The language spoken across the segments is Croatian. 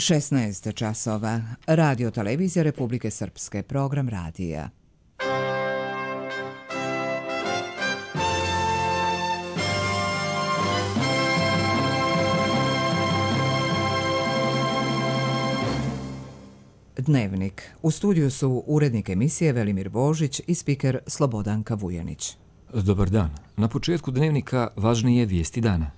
16 časova. Radio Televizija Republike Srpske. Program radija. Dnevnik. U studiju su urednik emisije Velimir Božić i spiker Slobodanka Vujanić. Dobar dan. Na početku dnevnika važnije vijesti dana.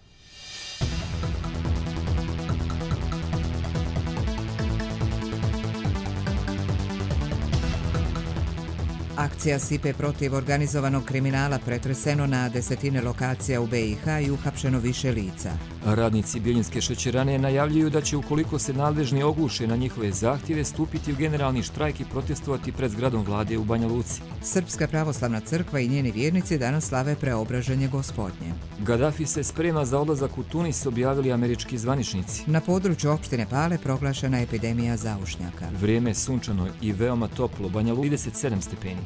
Akcija SIPE protiv organizovanog kriminala pretreseno na desetine lokacija u BiH i uhapšeno više lica. Radnici Bjeljinske šećerane najavljuju da će, ukoliko se nadležni ogluše na njihove zahtjeve, stupiti u generalni štrajk i protestovati pred zgradom vlade u Banja Luci. Srpska pravoslavna crkva i njeni vjernici danas slave preobraženje Gospodnje. Gaddafi se sprema za odlazak u Tunis, objavili američki zvaničnici. Na području opštine Pale proglašena epidemija zaušnjaka. Vrijeme je sunčano i veoma toplo, Banja Luka 37 stepeni.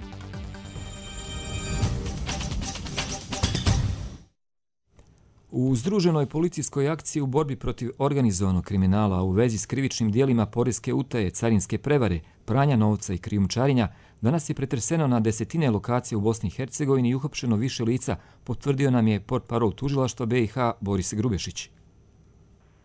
U združenoj policijskoj akciji u borbi protiv organizovanog kriminala u vezi s krivičnim dijelima poreske utaje, carinske prevare, pranja novca i krijumčarenja, danas je pretreseno na desetine lokacija u Bosni i Hercegovini i uhapšeno više lica, potvrdio nam je portparol tužilaštva BiH Boris Grubešić.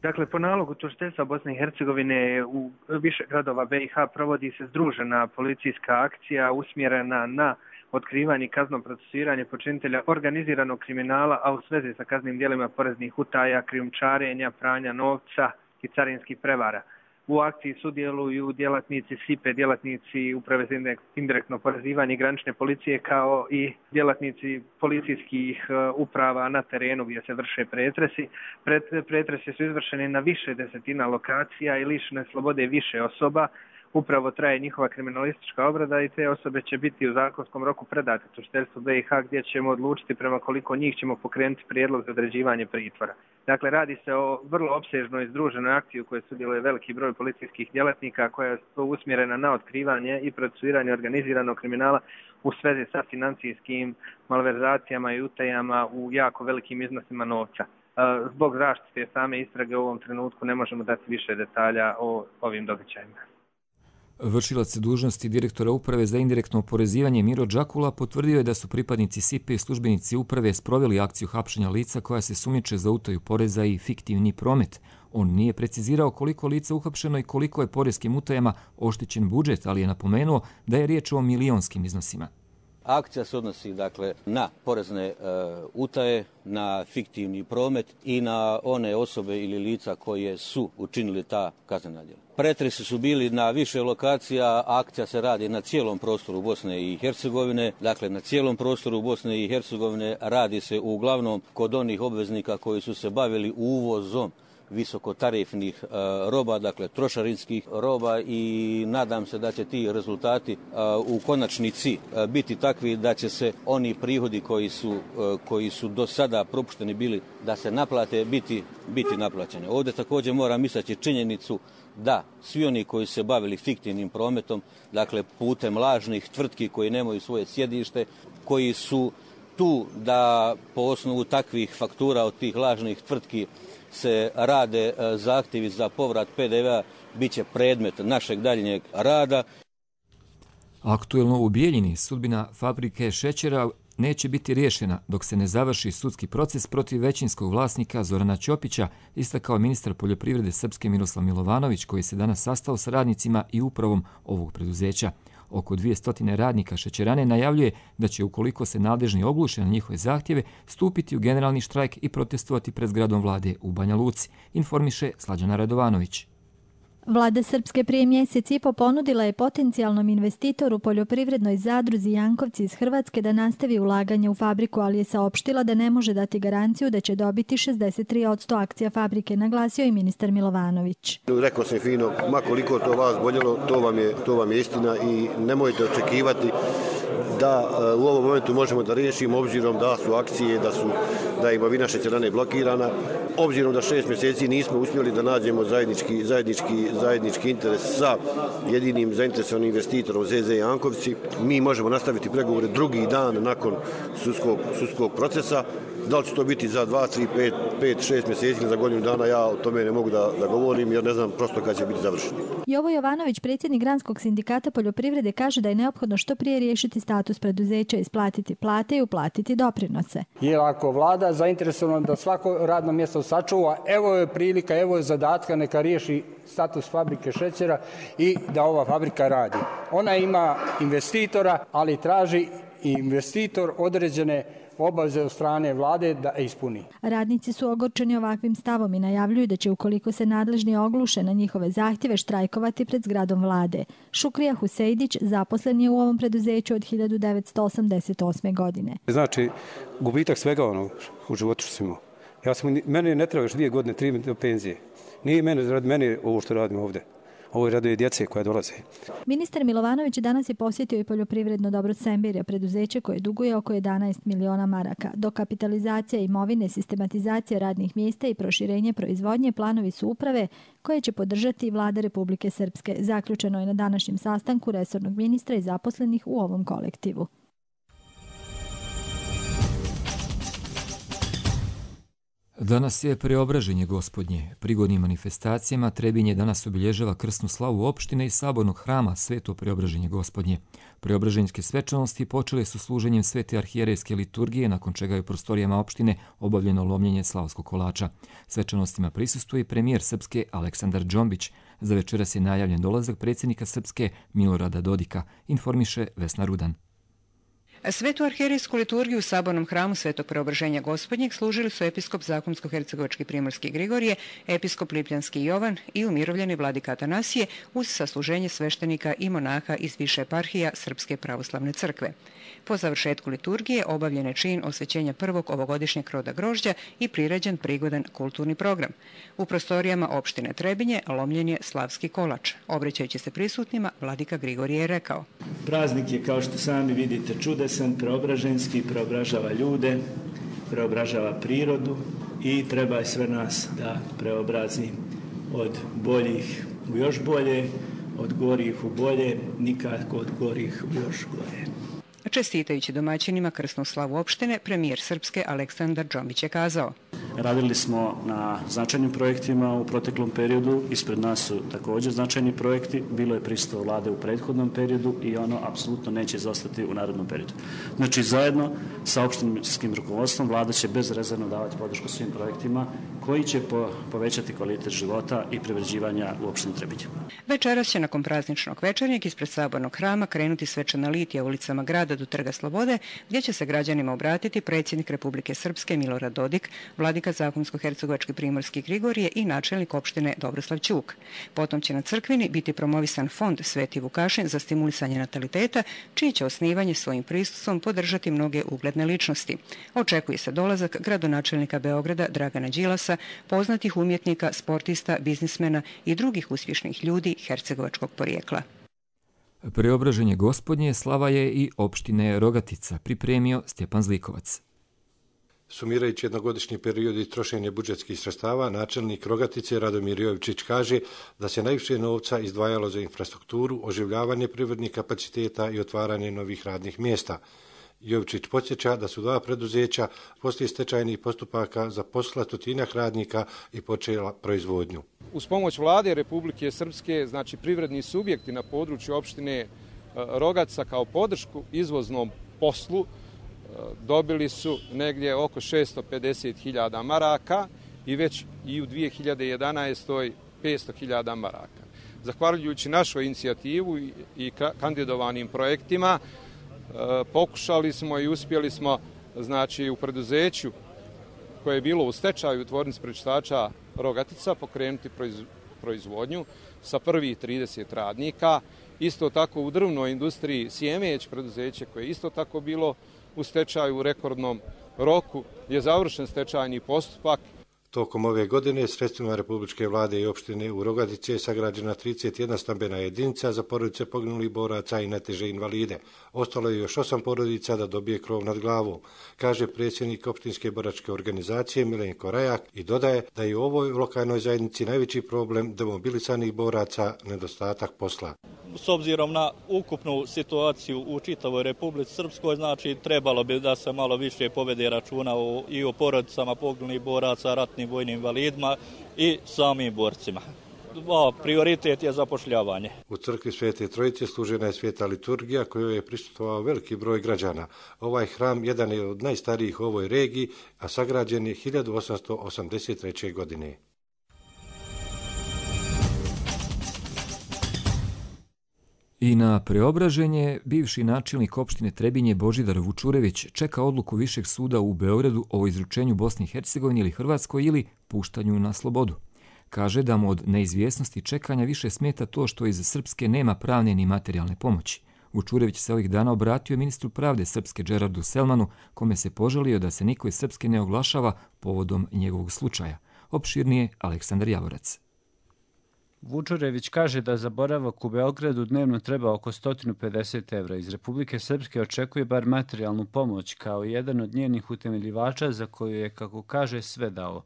Dakle, po nalogu tužiteljstva Bosne i Hercegovine u više gradova BiH provodi se združena policijska akcija usmjerena na otkrivanje i kazneno procesuiranje počinitelja organiziranog kriminala, a u svezi sa kaznenim djelima poreznih utaja, krijumčarenja, pranja novca i carinskih prevara. U akciji sudjeluju djelatnici SIPE, djelatnici Uprave za indirektno oporezivanje i granične policije, kao i djelatnici policijskih uprava na terenu gdje se vrše pretresi. Pretresi su izvršeni na više desetina lokacija i lišene slobode više osoba. Upravo traje njihova kriminalistička obrada i te osobe će biti u zakonskom roku predate tužiteljstvu BiH, gdje ćemo odlučiti prema koliko njih ćemo pokrenuti prijedlog za određivanje pritvora. Dakle, radi se o vrlo opsežnoj združenoj akciji u kojoj sudjeluje veliki broj policijskih djelatnika koja je usmjerena na otkrivanje i procesuiranje organiziranog kriminala u svezi sa financijskim malverzacijama i utajama u jako velikim iznosima novca. Zbog zaštite same istrage u ovom trenutku ne možemo dati više detalja o ovim događajima. Vršilac dužnosti direktora Uprave za indirektno oporezivanje Miro Đakula potvrdio je da su pripadnici SIPE i službenici uprave sproveli akciju hapšenja lica koja se sumnjiče za utaju poreza i fiktivni promet. On nije precizirao koliko lica uhapšeno i koliko je poreskim utajama oštećen budžet, ali je napomenuo da je riječ o milionskim iznosima. Akcija se odnosi dakle na porezne utaje, na fiktivni promet i na one osobe ili lica koje su učinili ta kaznena djela. Pretresi su bili na više lokacija, akcija se radi na cijelom prostoru Bosne i Hercegovine. Dakle, na cijelom prostoru Bosne i Hercegovine radi se uglavnom kod onih obveznika koji su se bavili uvozom visokotarifnih roba, dakle trošarinskih roba, i nadam se da će ti rezultati u konačnici biti takvi da će se oni prihodi koji su do sada propušteni bili da se naplate biti naplaćeni. Ovdje također moram istaći činjenicu da svi oni koji se bavili fiktivnim prometom, dakle putem lažnih tvrtki koji nemaju svoje sjedište, koji su tu da po osnovu takvih faktura od tih lažnih tvrtki se rade zahtjevi za povrat PDV-a, bit će predmet našeg daljnjeg rada. Aktuelno u Bijeljini sudbina fabrike šećera neće biti riješena dok se ne završi sudski proces protiv većinskog vlasnika Zorana Ćopića, istakao ministar poljoprivrede Srpske Miroslav Milovanović, koji se danas sastao sa radnicima i upravom ovog preduzeća. Oko 200 radnika šećerane najavljuje da će, ukoliko se nadležni ogluše na njihove zahtjeve, stupiti u generalni štrajk i protestovati pred zgradom vlade u Banja Luci, informiše Slađana Radovanović. Vlada Srpske prije mjesec i po ponudila je potencijalnom investitoru poljoprivrednoj zadruzi Jankovci iz Hrvatske da nastavi ulaganje u fabriku, ali je saopštila da ne može dati garanciju da će dobiti 63% akcija fabrike, naglasio i ministar Milovanović. Rekao sam fino, ma koliko to vas boljelo, to vam je istina i nemojte očekivati da u ovom momentu možemo da riješimo, obzirom da su akcije, da je imovina šećerane blokirana, obzirom da 6 mjeseci nismo uspjeli da nađemo zajednički interes sa jedinim zainteresovanim investitorom ZZ Jankovci. Mi možemo nastaviti pregovore drugi dan nakon sudskog procesa. Da li će to biti za 2, 3, 5, 6 mjeseci ili za godinu dana, ja o tome ne mogu da govorim jer ne znam prosto kad će biti završeno. Jovo Jovanović, predsjednik Granskog sindikata poljoprivrede, kaže da je neophodno što prije riješiti status preduzeća, isplatiti plate i uplatiti doprinose. Jer ako vlada zainteresovana da svako radno mjesto sačuva, evo je prilika, evo je zadatka, neka riješi status fabrike šećera i da ova fabrika radi. Ona ima investitora, ali traži investitor određene obaveze od strane vlade da ispuni. Radnici su ogorčeni ovakvim stavom i najavljuju da će, ukoliko se nadležni ogluše na njihove zahtjeve, štrajkovati pred zgradom vlade. Šukrija Husejdić zaposlen je u ovom preduzeću od 1988. godine. Znači, gubitak svega u životu što sam imao. Meni ne treba još 2 godine, 3 do penzije. Nije meni ovo što radim ovdje. Ovo je radi djece koja dolaze. Ministar Milovanović danas je posjetio i poljoprivredno dobro Sembirja, preduzeće koje duguje oko 11 miliona maraka. Dokapitalizacija imovine, sistematizacija radnih mjesta i proširenje proizvodnje planovi su uprave koje će podržati i vlada Republike Srpske. Zaključeno je na današnjem sastanku resornog ministra i zaposlenih u ovom kolektivu. Danas je Preobraženje Gospodnje. Prigodnim manifestacijama Trebinje danas obilježava krsnu slavu opštine i sabornog hrama Sveto Preobraženje Gospodnje. Preobraženjske svečanosti počele su služenjem Svete arhijerejske liturgije, nakon čega je u prostorijama opštine obavljeno lomljenje slavskog kolača. Svečanostima prisustvuje i premijer Srpske Aleksandar Džombić. Za večeras je najavljen dolazak predsjednika Srpske Milorada Dodika, informiše Vesna Rudan. Svetu arhijerejsku liturgiju u sabornom hramu Svetog Preobraženja Gospodnjeg služili su episkop Zakonsko-hercegovački Primorski Grigorije, episkop Lipljanski Jovan i umirovljeni vladika Atanasije uz sasluženje sveštenika i monaha iz više eparhija Srpske pravoslavne crkve. Po završetku liturgije obavljen je čin osvećenja prvog ovogodišnjeg roda grožđa i priređen prigodan kulturni program. U prostorijama opštine Trebinje lomljen je slavski kolač. Obraćajući se prisutnima, vladika Grigorije je rekao: Praznik je, kao što sami vidite, čudesan, preobraženski, preobražava ljude, preobražava prirodu i treba sve nas da preobrazi od boljih u još bolje, od gorih u bolje, nikako od gorih u još gore. Čestitajući domaćinima krsnu slavu opštine, premijer Srpske Aleksandar Džombić je kazao: Radili smo na značajnim projektima u proteklom periodu, ispred nas su također značajni projekti, bilo je prisustvo vlade u prethodnom periodu i ono apsolutno neće izostati u narednom periodu. Znači, zajedno sa opštinskim rukovodstvom vlada će bezrezervno davati podršku svim projektima koji će povećati kvalitet života i privređivanja u opštini Trebinje. Večeras će nakon prazničnog večernjeg ispred sabornog hrama krenuti svečana litija ulicama grada do Trga Slobode, gdje će se građanima obratiti predsjednik Republike Srpske Milorad Dodik, vladika Zakonsko-hercegovački Primorski Grigorije i načelnik opštine Dobroslav Ćuk. Potom će na crkvini biti promovisan fond Sveti Vukašin za stimulisanje nataliteta, čiji će osnivanje svojim prisustvom podržati mnoge ugledne ličnosti. Očekuje se dolazak gradonačelnika Beograda Dragana Đilasa, poznatih umjetnika, sportista, biznismena i drugih uspješnih ljudi hercegovačkog porijekla. Preobraženje Gospodnje slava je i opštine Rogatica, pripremio Stjepan Zlikovac. Sumirajući jednogodišnji period i trošenje budžetskih sredstava, načelnik Rogatice Radomir Jovičić kaže da se najviše novca izdvajalo za infrastrukturu, oživljavanje privrednih kapaciteta i otvaranje novih radnih mjesta. Jovičić podsjeća da su 2 preduzeća poslije stečajnih postupaka zaposlila 100 radnika i počela proizvodnju. Uz pomoć vlade Republike Srpske, znači privredni subjekti na području opštine Rogatica kao podršku izvoznom poslu dobili su negdje oko 650.000 maraka i već i u 2011. 500.000 maraka. Zahvaljujući našoj inicijativu i kandidovanim projektima, pokušali smo i uspjeli smo, znači, u preduzeću koje je bilo u stečaju tvornice prečistača Rogatica pokrenuti proizvodnju sa prvih 30 radnika. Isto tako u drvnoj industriji Sjemeć, preduzeće koje je isto tako bilo u stečaju u rekordnom roku, je završen stečajni postupak. Tokom ove godine sredstvima Republičke vlade i opštine u Rogatici je sagrađena 31 stambena jedinica za porodice poginulih boraca i najteže invalide. Ostalo je još 8 porodica da dobije krov nad glavom, kaže predsjednik opštinske boračke organizacije Milenko Rajak i dodaje da je u ovoj lokalnoj zajednici najveći problem demobilisanih boraca nedostatak posla. S obzirom na ukupnu situaciju u čitavoj Republici Srpskoj, znači trebalo bi da se malo više povede računa i o porodicama poginulih boraca, ratnim vojnim invalidima i samim borcima. Prioritet je zapošljavanje. U crkvi Svete Trojice služena je sveta liturgija kojoj je prisustvovao veliki broj građana. Ovaj hram jedan je od najstarijih u ovoj regiji, a sagrađen je 1883. godine. I na preobraženje bivši načelnik opštine Trebinje Božidar Vučurević čeka odluku Višeg suda u Beogradu o izručenju Bosni i Hercegovini ili Hrvatskoj ili puštanju na slobodu. Kaže da mu od neizvjesnosti čekanja više smeta to što iz Srpske nema pravne ni materijalne pomoći. Vučurević se ovih dana obratio ministru pravde Srpske Džerardu Selmanu, kome se požalio da se niko iz Srpske ne oglašava povodom njegovog slučaja. Opširnije Aleksandar Javorac. Vučurević kaže da za boravak u Beogradu dnevno treba oko 150 evra. Iz Republike Srpske očekuje bar materijalnu pomoć kao jedan od njenih utemeljivača za koju je, kako kaže, sve dao.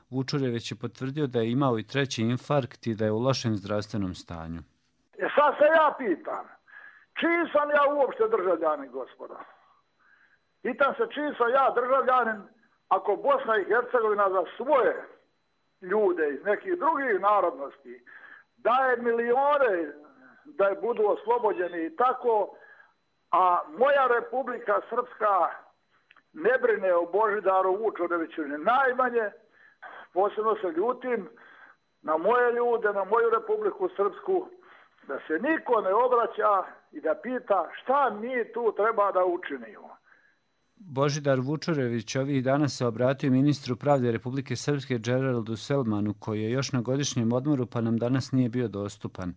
Vučurević je potvrdio da je imao i 3. infarkt i da je u lošem zdravstvenom stanju. Sad se ja pitam, čiji sam ja uopšte državljanin, gospodo? Pitam se čiji sam ja državljanin ako Bosna i Hercegovina za svoje ljude iz nekih drugih narodnosti daje milione da je budu oslobođeni i tako, a moja Republika Srpska ne brine o Božidaru Vučureviću ni najmanje. Posebno se ljutim na moje ljude, na moju Republiku Srpsku, da se niko ne obraća i da pita šta mi tu treba da učinimo. Božidar Vučurević ovih dana se obratio ministru pravde Republike Srpske Džerardu Selmanu, koji je još na godišnjem odmoru pa nam danas nije bio dostupan.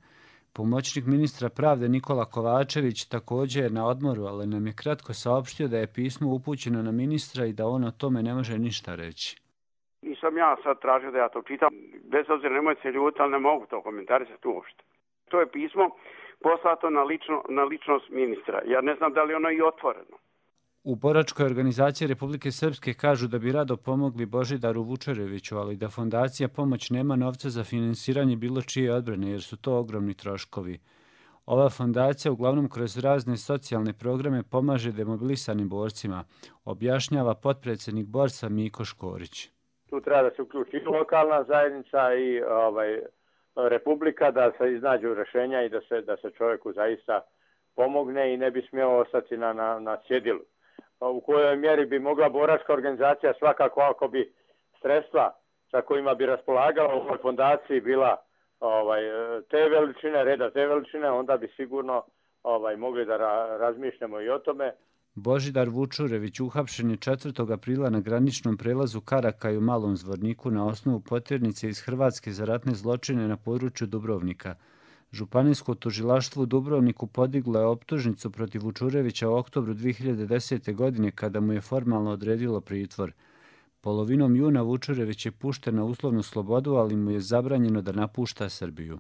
Pomoćnik ministra pravde Nikola Kovačević također je na odmoru, ali nam je kratko saopštio da je pismo upućeno na ministra i da on o tome ne može ništa reći. Nisam ja sad tražio da ja to čitam, bez obzira nemoj se ljuti, ali ne mogu to komentarisati uopšte. To je pismo poslato na ličnost ministra. Ja ne znam da li ono i otvoreno. U boračkoj organizaciji Republike Srpske kažu da bi rado pomogli Božidaru Vučureviću, ali da fondacija Pomoć nema novca za finansiranje bilo čije odbrane, jer su to ogromni troškovi. Ova fondacija uglavnom kroz razne socijalne programe pomaže demobilisanim borcima, objašnjava potpredsjednik borca Miko Škorić. Tu treba da se uključi lokalna zajednica i Republika, da se iznađu rješenja i da se čovjeku zaista pomogne i ne bi smio ostati na cjedilu. U kojoj mjeri bi mogla boračka organizacija svakako ako bi sredstva sa kojima bi raspolagala u ovoj fondaciji bila te veličine, reda te veličine, onda bi sigurno mogli da razmišljamo i o tome. Božidar Vučurević uhapšen je 4. aprila na graničnom prelazu Karakaj u Malom Zvorniku na osnovu poternice iz Hrvatske za ratne zločine na području Dubrovnika. Županijsko tužilaštvo u Dubrovniku podiglo je optužnicu protiv Vučurevića u oktobru 2010. godine kada mu je formalno odredilo pritvor. Polovinom juna Vučurević je pušten na uslovnu slobodu, ali mu je zabranjeno da napušta Srbiju.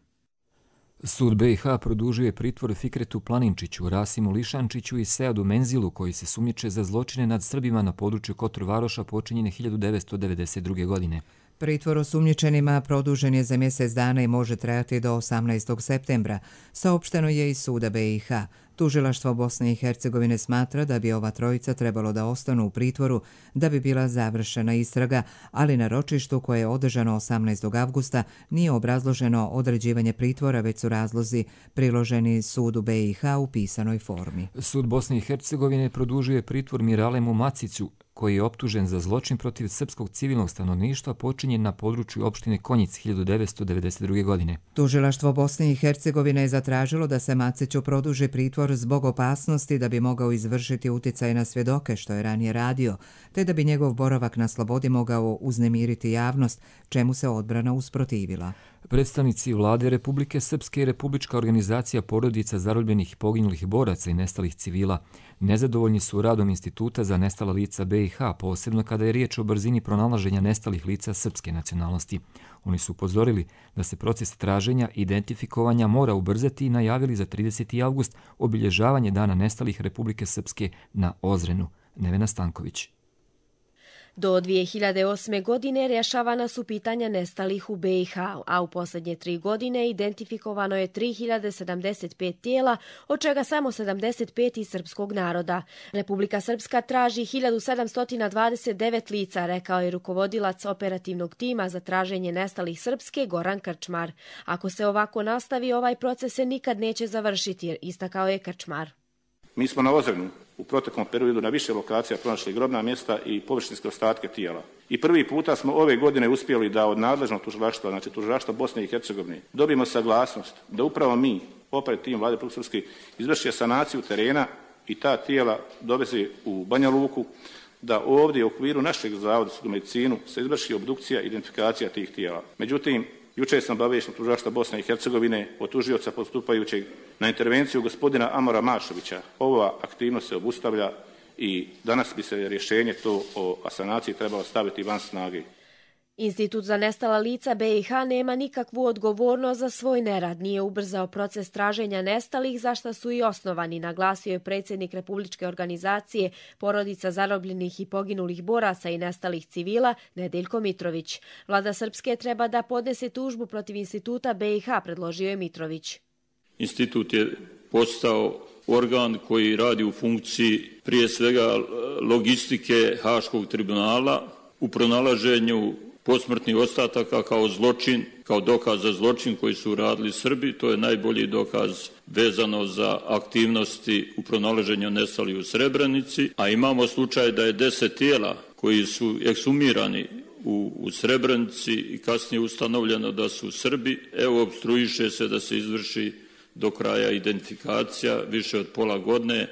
Sud BiH produžio je pritvor Fikretu Planinčiću, Rasimu Lišančiću i Seadu Menzilu, koji se sumnjiče za zločine nad Srbima na području Kotor-Varoša počinjene 1992. godine. Pritvor osumnjičenima produžen je za mjesec dana i može trajati do 18. septembra, saopšteno je iz suda BiH. Tužilaštvo Bosne i Hercegovine smatra da bi ova trojica trebalo da ostanu u pritvoru da bi bila završena istraga, ali na ročištu koje je održano 18. avgusta nije obrazloženo određivanje pritvora, već su razlozi priloženi sudu BiH u pisanoj formi. Sud Bosne i Hercegovine produžuje pritvor Miralemu Macicu, koji je optužen za zločin protiv srpskog civilnog stanovništva počinjen na području opštine Konjic 1992. godine. Tužilaštvo Bosne i Hercegovine je zatražilo da se Maciću produži pritvor zbog opasnosti da bi mogao izvršiti utjecaj na svjedoke, što je ranije radio, te da bi njegov boravak na slobodi mogao uznemiriti javnost, čemu se odbrana usprotivila. Predstavnici vlade Republike Srpske i Republička organizacija porodica zarobljenih i poginulih boraca i nestalih civila Nezadovoljni su radom Instituta za nestala lica BiH, posebno kada je riječ o brzini pronalaženja nestalih lica srpske nacionalnosti. Oni su upozorili da se proces traženja i identifikovanja mora ubrzati i najavili za 30. avgust obilježavanje Dana nestalih Republike Srpske na Ozrenu. Nevena Stanković. Do 2008. godine rješavana su pitanja nestalih u BiH, a u posljednje 3 godine identifikovano je 3075 tijela, od čega samo 75 iz srpskog naroda. Republika Srpska traži 1729 lica, rekao je rukovodilac operativnog tima za traženje nestalih Srpske Goran Krčmar. Ako se ovako nastavi, ovaj proces se nikad neće završiti, istakao je Krčmar. Mi smo na Ozrenu u proteklom periodu na više lokacija pronašli grobna mjesta i površinske ostatke tijela. I prvi puta smo ove godine uspjeli da od nadležnog tužilaštva, znači tužilaštva Bosne i Hercegovine, dobijemo saglasnost da upravo mi, operativni tim Vlade Republike Srpske, izvrši sanaciju terena i ta tijela doveze u Banja Luku, da ovdje u okviru našeg Zavoda za medicinu se izvrši obdukcija i identifikacija tih tijela. Međutim, jučer sam obaviješten tužilaštva Bosne i Hercegovine od tužioca postupajućeg na intervenciju gospodina Amora Mašovića. Ova aktivnost se obustavlja i danas bi se rješenje to o sanaciji trebalo staviti van snage. Institut za nestala lica BiH nema nikakvu odgovornost za svoj nerad. Nije ubrzao proces traženja nestalih, za što su i osnovani, naglasio je predsjednik Republičke organizacije Porodica zarobljenih i poginulih boraca i nestalih civila Nedeljko Mitrović. Vlada Srpske treba da podnese tužbu protiv Instituta BiH, predložio je Mitrović. Institut je postao organ koji radi u funkciji prije svega logistike Haškog tribunala u pronalaženju posmrtnih ostataka kao zločin, kao dokaz za zločin koji su radili Srbi. To je najbolji dokaz vezano za aktivnosti u pronalaženju nestalih u Srebrenici. A imamo slučaj da je 10 tijela koji su eksumirani u Srebrenici i kasnije ustanovljeno da su Srbi. Evo, opstruiše se da se izvrši do kraja identifikacija više od pola godine.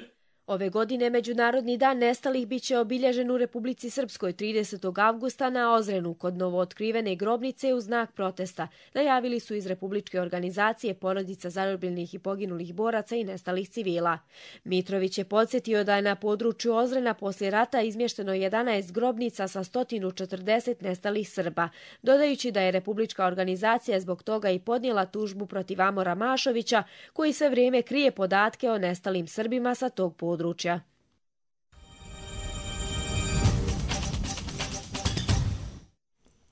Ove godine Međunarodni dan nestalih biće obilježen u Republici Srpskoj 30. avgusta na Ozrenu kod novootkrivene grobnice u znak protesta. Najavili su iz Republičke organizacije Porodica zarobljenih i poginulih boraca i nestalih civila. Mitrović je podsjetio da je na području Ozrena poslije rata izmješteno 11 grobnica sa 140 nestalih Srba, dodajući da je Republička organizacija zbog toga i podnijela tužbu protiv Amora Mašovića, koji sve vrijeme krije podatke o nestalim Srbima sa tog područja.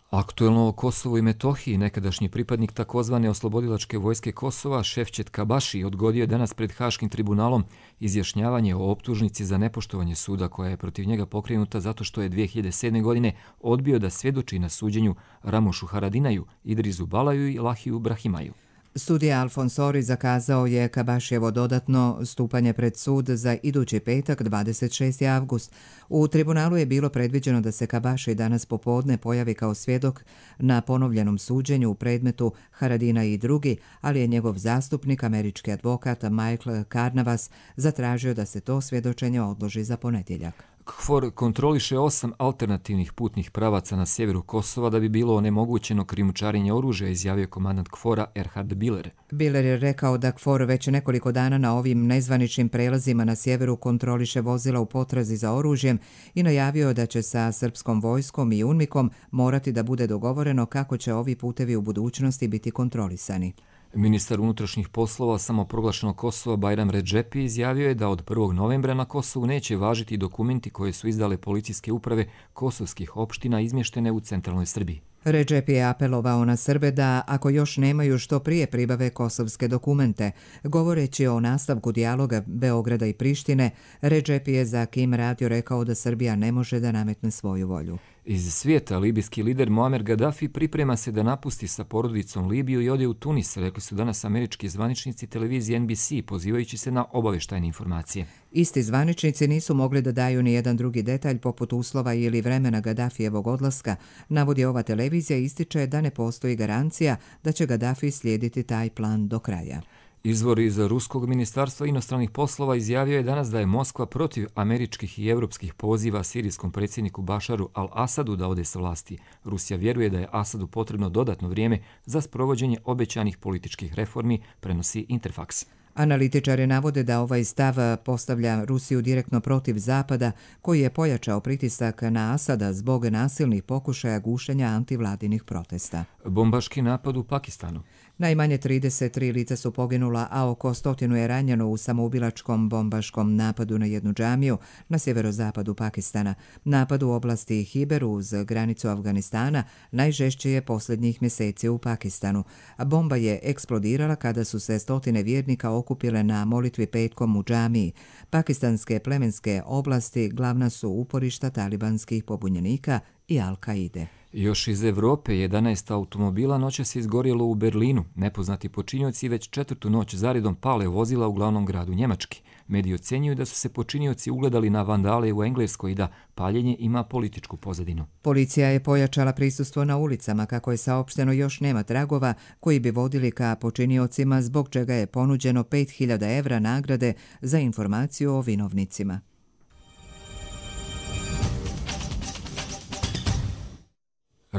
Aktuelno o Kosovu i Metohiji, nekadašnji pripadnik takozvane oslobodilačke vojske Kosova, Šefčet Kabaši, odgodio je danas pred Haškim tribunalom izjašnjavanje o optužnici za nepoštovanje suda koja je protiv njega pokrenuta zato što je 2007. godine odbio da svjedoči na suđenju Ramušu Haradinaju, Idrizu Balaju i Lahiju Brahimaju. Sudija Alfonsori zakazao je Kabašijevo dodatno stupanje pred sud za idući petak 26. avgust. U tribunalu je bilo predviđeno da se Kabaši danas popodne pojavi kao svjedok na ponovljenom suđenju u predmetu Haradina i drugi, ali je njegov zastupnik, američki advokat Michael Carnavas, zatražio da se to svjedočenje odloži za ponedjeljak. KFOR kontroliše 8 alternativnih putnih pravaca na sjeveru Kosova da bi bilo onemogućeno krijumčarenje oružja, izjavio komandant KFOR-a Erhard Biller. Biller je rekao da KFOR već nekoliko dana na ovim nezvaničnim prelazima na sjeveru kontroliše vozila u potrazi za oružjem i najavio da će sa srpskom vojskom i UNMIK-om morati da bude dogovoreno kako će ovi putevi u budućnosti biti kontrolisani. Ministar unutrašnjih poslova samoproglašenog Kosova Bajram Redžepi izjavio je da od 1. novembra na Kosovu neće važiti dokumenti koje su izdale policijske uprave kosovskih opština izmještene u centralnoj Srbiji. Redžepi je apelovao na Srbe da, ako još nemaju što prije, pribave kosovske dokumente. Govoreći o nastavku dijaloga Beograda i Prištine, Redžepi je za Kim radio rekao da Srbija ne može da nametne svoju volju. Iz svijeta libijski lider Muammar Gaddafi priprema se da napusti sa porodicom Libiju i ode u Tunis, rekli su danas američki zvaničnici televizije NBC, pozivajući se na obavještajne informacije. Isti zvaničnici nisu mogli da daju ni jedan drugi detalj poput uslova ili vremena Gaddafijevog odlaska. Navodi ova televizija, ističe da ne postoji garancija da će Gaddafi slijediti taj plan do kraja. Izvor iz Ruskog ministarstva inostranih poslova izjavio je danas da je Moskva protiv američkih i evropskih poziva sirijskom predsjedniku Bašaru al-Asadu da ode sa vlasti. Rusija vjeruje da je Asadu potrebno dodatno vrijeme za sprovođenje obećanih političkih reformi, prenosi Interfax. Analitičari navode da ovaj stav postavlja Rusiju direktno protiv Zapada, koji je pojačao pritisak na Asada zbog nasilnih pokušaja gušenja antivladinih protesta. Bombaški napad u Pakistanu. Najmanje 33 lica su poginula, a oko 100 je ranjeno u samoubilačkom bombaškom napadu na jednu džamiju na sjeverozapadu Pakistana. Napad u oblasti Hiber uz granicu Afganistana najžešće je posljednjih mjeseci u Pakistanu. Bomba je eksplodirala kada su se stotine vjernika okupile na molitvi petkom u džamiji. Pakistanske plemenske oblasti glavna su uporišta talibanskih pobunjenika i Al-Kaide. Još iz Evrope 11 automobila noćas je izgorjelo u Berlinu. Nepoznati počinioci već 4. noć zaredom pale vozila u glavnom gradu Njemački. Mediji ocjenjuju da su se počinioci ugledali na vandale u Engleskoj i da paljenje ima političku pozadinu. Policija je pojačala prisustvo na ulicama, kako je saopšteno još nema tragova koji bi vodili ka počiniocima, zbog čega je ponuđeno 5.000 evra nagrade za informaciju o vinovnicima.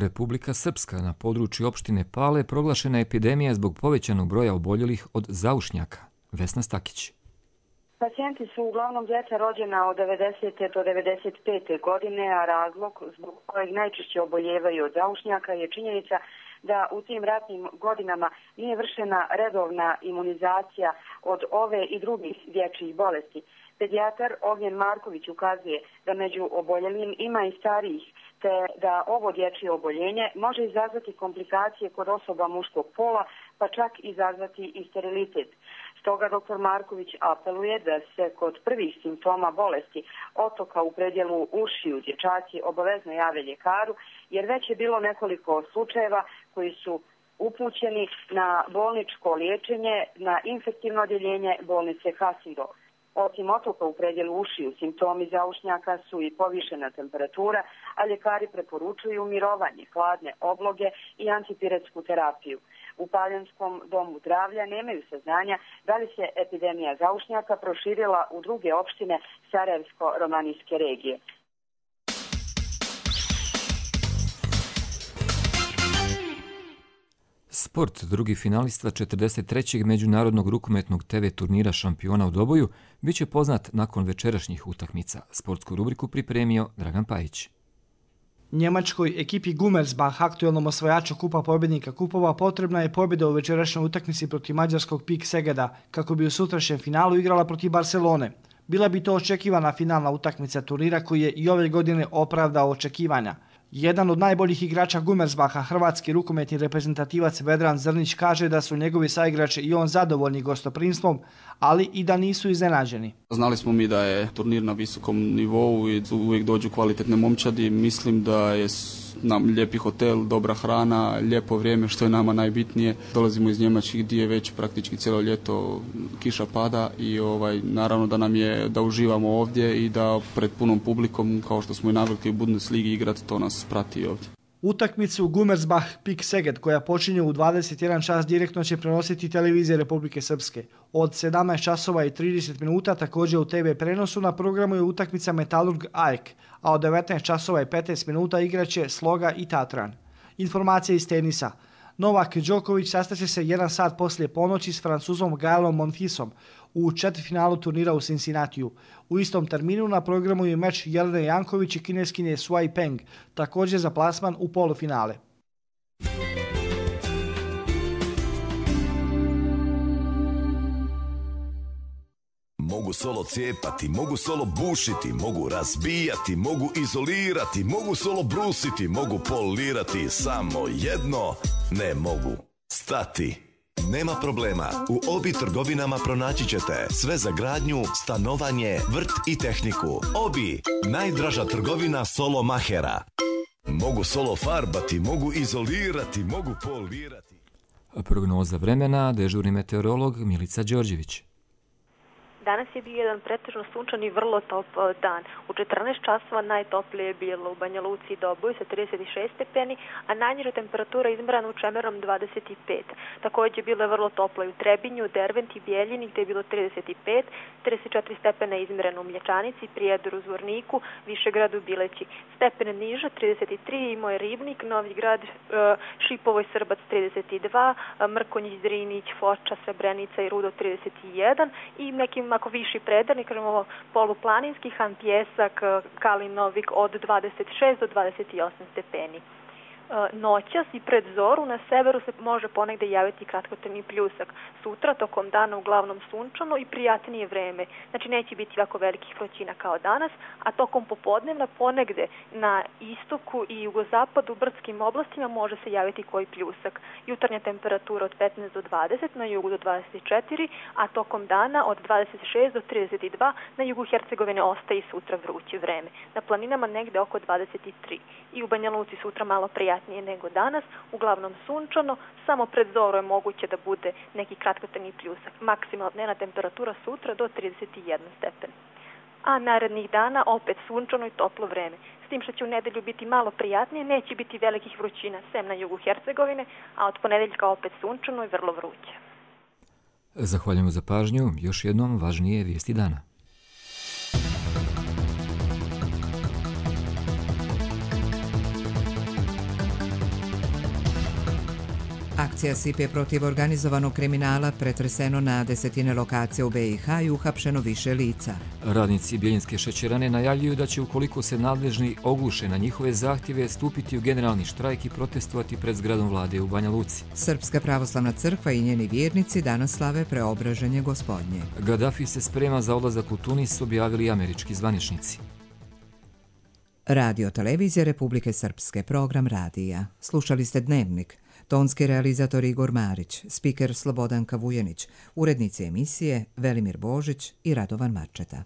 Republika Srpska, na području opštine Pale proglašena epidemija zbog povećanog broja oboljelih od zaušnjaka. Vesna Stakić. Pacijenti su uglavnom djeca rođena od 90. do 95. godine, a razlog zbog kojeg najčešće oboljevaju od zaušnjaka je činjenica da u tim ratnim godinama nije vršena redovna imunizacija od ove i drugih dječjih bolesti. Pedijatar Ognjen Marković ukazuje da među oboljelim ima i starijih, te da ovo dječje oboljenje može izazvati komplikacije kod osoba muškog pola, pa čak izazvati i sterilitet. Stoga dr. Marković apeluje da se kod prvih simptoma bolesti otoka u predjelu ušiju dječaci obavezno jave ljekaru, jer već je bilo nekoliko slučajeva koji su upućeni na bolničko liječenje na infektivno odjeljenje bolnice Hasindo. Osim otoka u predjelu ušiju, simptomi zaušnjaka su i povišena temperatura, a ljekari preporučuju mirovanje, hladne obloge i antipiretsku terapiju. U Paljanskom domu zdravlja nemaju saznanja da li se epidemija zaušnjaka proširila u druge opštine Sarajevsko-romanijske regije. Sport, drugi finalista 43. međunarodnog rukometnog TV turnira šampiona u Doboju, bit će poznat nakon večerašnjih utakmica. Sportsku rubriku pripremio Dragan Pajić. Njemačkoj ekipi Gummersbach, aktuelnom osvajaču Kupa pobjednika kupova, potrebna je pobjeda u večerašnjoj utakmici protiv mađarskog PIK Segeda, kako bi u sutrašnjem finalu igrala protiv Barcelone. Bila bi to očekivana finalna utakmica turnira koji je i ove godine opravdao očekivanja. Jedan od najboljih igrača Gummersbacha, hrvatski rukometni reprezentativac Vedran Zrnić, kaže da su njegovi saigrači i on zadovoljni gostoprimstvom, ali i da nisu iznenađeni. Znali smo mi da je turnir na visokom nivou i uvijek dođu kvalitetne momčadi. Mislim da je nam lijepi hotel, dobra hrana, lijepo vrijeme, što je nama najbitnije. Dolazimo iz Njemačke gdje je već praktički cijelo ljeto kiša pada i naravno da nam je da uživamo ovdje i da pred punom publikom, kao što smo i navikli u Bundesligi igrati, to nas prati ovdje. Utakmicu Gummersbach PIK Seged, koja počinje u 21 čas, direktno će prenositi televizije Republike Srpske. Od 17 časova i 30 minuta također u TV prenosu na programu je utakmica Metalurg AEK, a od 19 časova i 15 minuta igraće Sloga i Tatran. Informacija iz tenisa. Novak Đoković sastaće se 1 sat poslije ponoći s Francuzom Gaelom Monfisom u četvrtfinalu turnira u Cincinnatiju. U istom terminu na programu je meč Jelene Janković i kineskinje Shuai Peng, također za plasman u polufinale. Mogu solo cijepati, mogu solo bušiti, mogu razbijati, mogu izolirati, mogu solo brusiti, mogu polirati, samo jedno ne mogu stati. Nema problema, u Obi trgovinama pronaći ćete sve za gradnju, stanovanje, vrt i tehniku. Obi, najdraža trgovina solo mahera. Mogu solo farbati, mogu izolirati, mogu polirati. Prognoza vremena, dežurni meteorolog Milica Đorđević. Danas je bio jedan pretežno sunčan i vrlo topao dan. U 14 časova najtoplije je bilo u Banja Luci i Doboju sa 36 stepeni, a najniža temperatura izmerana u Čemerom 25. Također bilo je vrlo toplo i u Trebinju, Derventi, Bijeljini gdje je bilo 35, 34 stepena izmerano u Mlječanici, Prijedoru, Zvorniku, Višegradu, Bileći. Stepene niža 33 imao je Ribnik, Novi Grad, Šipovoj, Srbac 32, Mrkonjić, Drinić, Foča, Srebrenica i Rudo 31 i nekim ako viši predarnik, kažemo poluplaninski, Han Pjesak, Kalinovik od 26 do 28 stepeni. Noćas i pred zoru na severu se može ponegde javiti kratkotrajni pljusak. Sutra tokom dana uglavnom sunčano i prijatnije vreme. Znači neće biti ovako velikih vrućina kao danas, a tokom popodnevna ponegde na istoku i jugozapadu u brdskim oblastima može se javiti koji pljusak. Jutarnja temperatura od 15 do 20, na jugu do 24, a tokom dana od 26 do 32, na jugu Hercegovine ostaje i sutra vruće vreme. Na planinama negde oko 23. I u Banja Luci sutra malo prijatnije nego danas, uglavnom sunčano, samo pred zoru je moguće da bude neki kratkotrajni pljusak. Maksimalna dnevna temperatura sutra do 31 stepen. A narednih dana opet sunčano i toplo vreme. S tim što će u nedelju biti malo prijatnije, neće biti velikih vrućina, sem na jugu Hercegovine, a od ponedeljka opet sunčano i vrlo vruće. Zahvaljujemo za pažnju. Još jednom važnije vijesti dana. Akcija SIPE protiv organizovanog kriminala pretreseno na desetine lokacija u BiH i uhapšeno više lica. Radnici Bjeljinske šećerane najavljuju da će, ukoliko se nadležni ogluše na njihove zahtjeve, stupiti u generalni štrajk i protestovati pred zgradom vlade u Banja Luci. Srpska pravoslavna crkva i njeni vjernici danas slave preobraženje Gospodnje. Gaddafi se sprema za odlazak u Tunis, objavili američki zvaničnici. Radio televizija Republike Srpske, program radija. Slušali ste Dnevnik. Tonski realizator Igor Marić, spiker Slobodanka Vujenić, urednici emisije Velimir Božić i Radovan Marčeta.